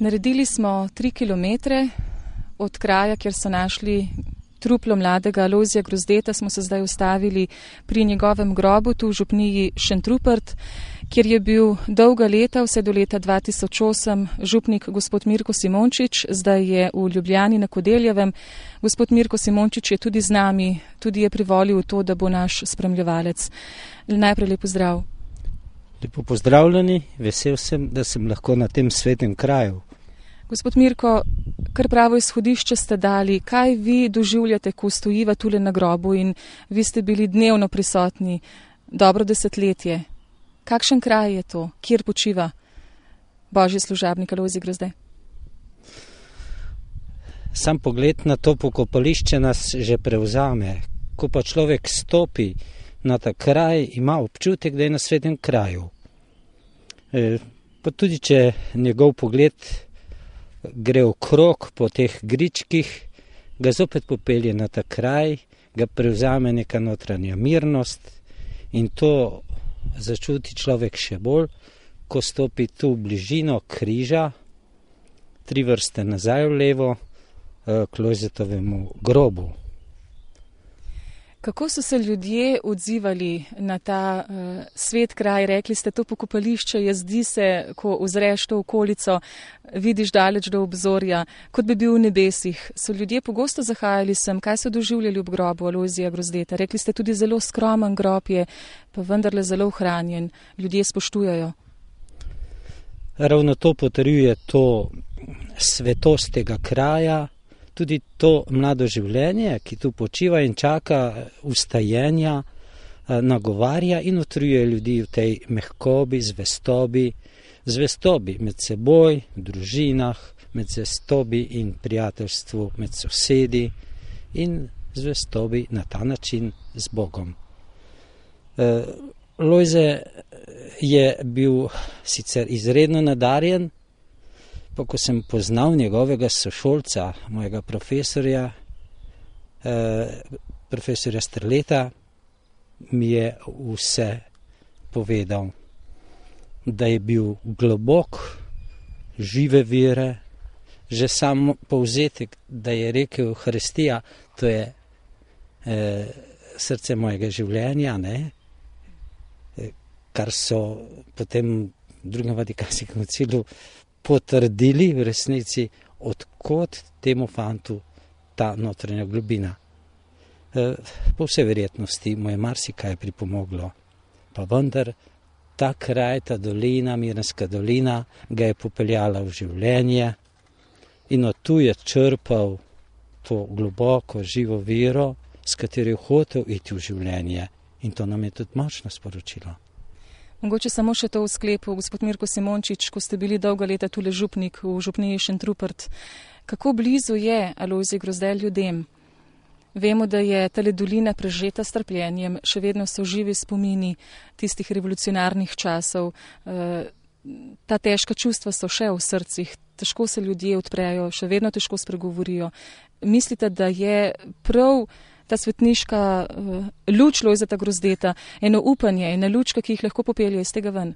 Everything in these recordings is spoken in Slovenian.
Naredili smo 3 kilometre od kraja, kjer so našli truplo mladega Alojzija Grozdeta, smo se zdaj ustavili pri njegovem grobu tu v župniji Šentrupert, kjer je bil dolga leta, vse do leta 2008, župnik gospod Mirko Simončič, zdaj je v Ljubljani na Kodeljevem. Gospod Mirko Simončič je tudi z nami, tudi je privolil v to, da bo naš spremljevalec. Najprej lep pozdrav. Lepo pozdravljeni, vesel sem, da sem lahko na tem svetem kraju. Gospod Mirko, kar pravo izhodišče ste dali, kaj vi doživljate, ko stojiva tule na grobu in vi ste bili dnevno prisotni, dobro desetletje. Kakšen kraj je to, kjer počiva božji služabnik Alojzij Grozde? Sam pogled na to pokopališče nas že prevzame. Ko pa človek stopi na ta kraj, ima občutek, da je na svetem kraju. Pa tudi, če njegov pogled gre okrog po teh gričkih, ga zopet popelje na ta kraj, ga prevzame neka notranja mirnost in to začuti človek še bolj, ko stopi tu v bližino križa, 3 vrste nazaj v levo, k Lojzetovemu grobu. Kako so se ljudje odzivali na ta svet kraj? Rekli ste, to pokopališče je, zdi se, ko ozreš to okolico, vidiš daleč do obzorja, kot bi bil v nebesih. So ljudje pogosto zahajali sem, kaj so doživljali ob grobu Alojzija Grozdeta? Rekli ste, tudi zelo skromen grob je, pa vendarle zelo ohranjen. Ljudje spoštujajo. Ravno to potrjuje to svetost tega kraja, tudi to mlado življenje, ki tu počiva in čaka vstajenja, nagovarja in utrjuje ljudi v tej mehkobi, zvestobi med seboj, v družinah, med zvestobi in prijateljstvu med sosedi in zvestobi na ta način z Bogom. Lojze je bil sicer izredno nadarjen, pa ko sem poznal njegovega sošolca, mojega profesorja Strleta, mi je vse povedal, da je bil globok, žive vere, že sam povzetek, da je rekel Euharistija, to je srce mojega življenja, ne? Kar so potem v drugem Vatikanskem koncilu potrdili v resnici, odkot temu fantu ta notranja globina. Po vsej verjetnosti mu je marsikaj pripomoglo, pa vendar ta kraj, ta dolina, Mirnska dolina, ga je popeljala v življenje in od tu je črpal to globoko, živo vero, s katero je hotel iti v življenje. In to nam je tudi močno sporočilo. Mogoče samo še to v sklepu, gospod Mirko Simončič, ko ste bili dolga leta tule župnik v župniji Šentrupert. Kako blizu je Alojzij Grozde ljudem? Vemo, da je tale dolina prežeta s trpljenjem, še vedno so živi spomini tistih revolucionarnih časov. Ta težka čustva so še v srcih, težko se ljudje odprejo, še vedno težko spregovorijo. Mislite, da je prav ta svetniška luč Lojzeta Grozdeta, eno upanje, ena lučka, ki jih lahko popelje iz tega ven?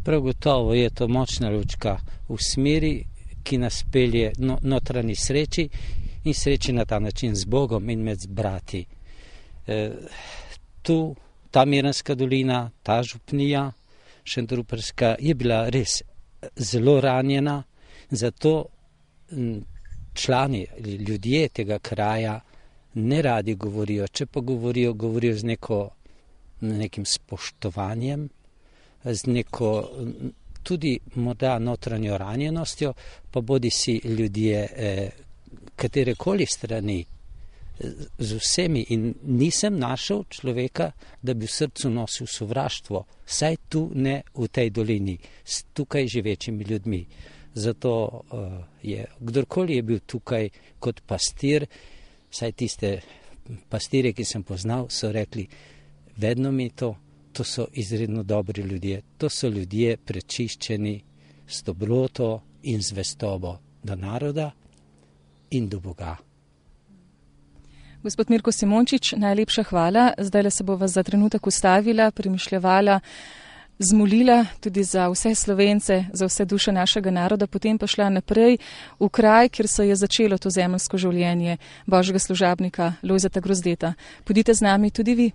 Prav gotovo je to močna lučka v smeri, ki nas pelje notranji sreči in sreči na ta način z Bogom in med brati. Tu, ta Mirnska dolina, ta župnija Šentrupertska je bila res zelo ranjena, zato člani, ljudje tega kraja ne radi govorijo, če pa govorijo z nekim spoštovanjem, z neko tudi morda notranjo ranjenostjo, pa bodi si ljudje katerekoli strani, z vsemi. In nisem našel človeka, da bi v srcu nosil sovraštvo, saj tu ne v tej dolini, s tukaj živečimi ljudmi. Zato je, kdorkoli je bil tukaj kot pastir, saj tiste pastire, ki sem poznal, so rekli, vedno mi to so izredno dobri ljudje, to so ljudje prečiščeni s dobroto in zvestobo do naroda in do Boga. Gospod Mirko Simončič, najlepša hvala. Zdaj se bova za trenutek ustavila, premišljevala zmolila tudi za vse Slovence, za vse duše našega naroda, potem pa šla naprej v kraj, kjer se je začelo to zemeljsko življenje božjega služabnika Lojzeta Grozdeta. Pojdite z nami tudi vi.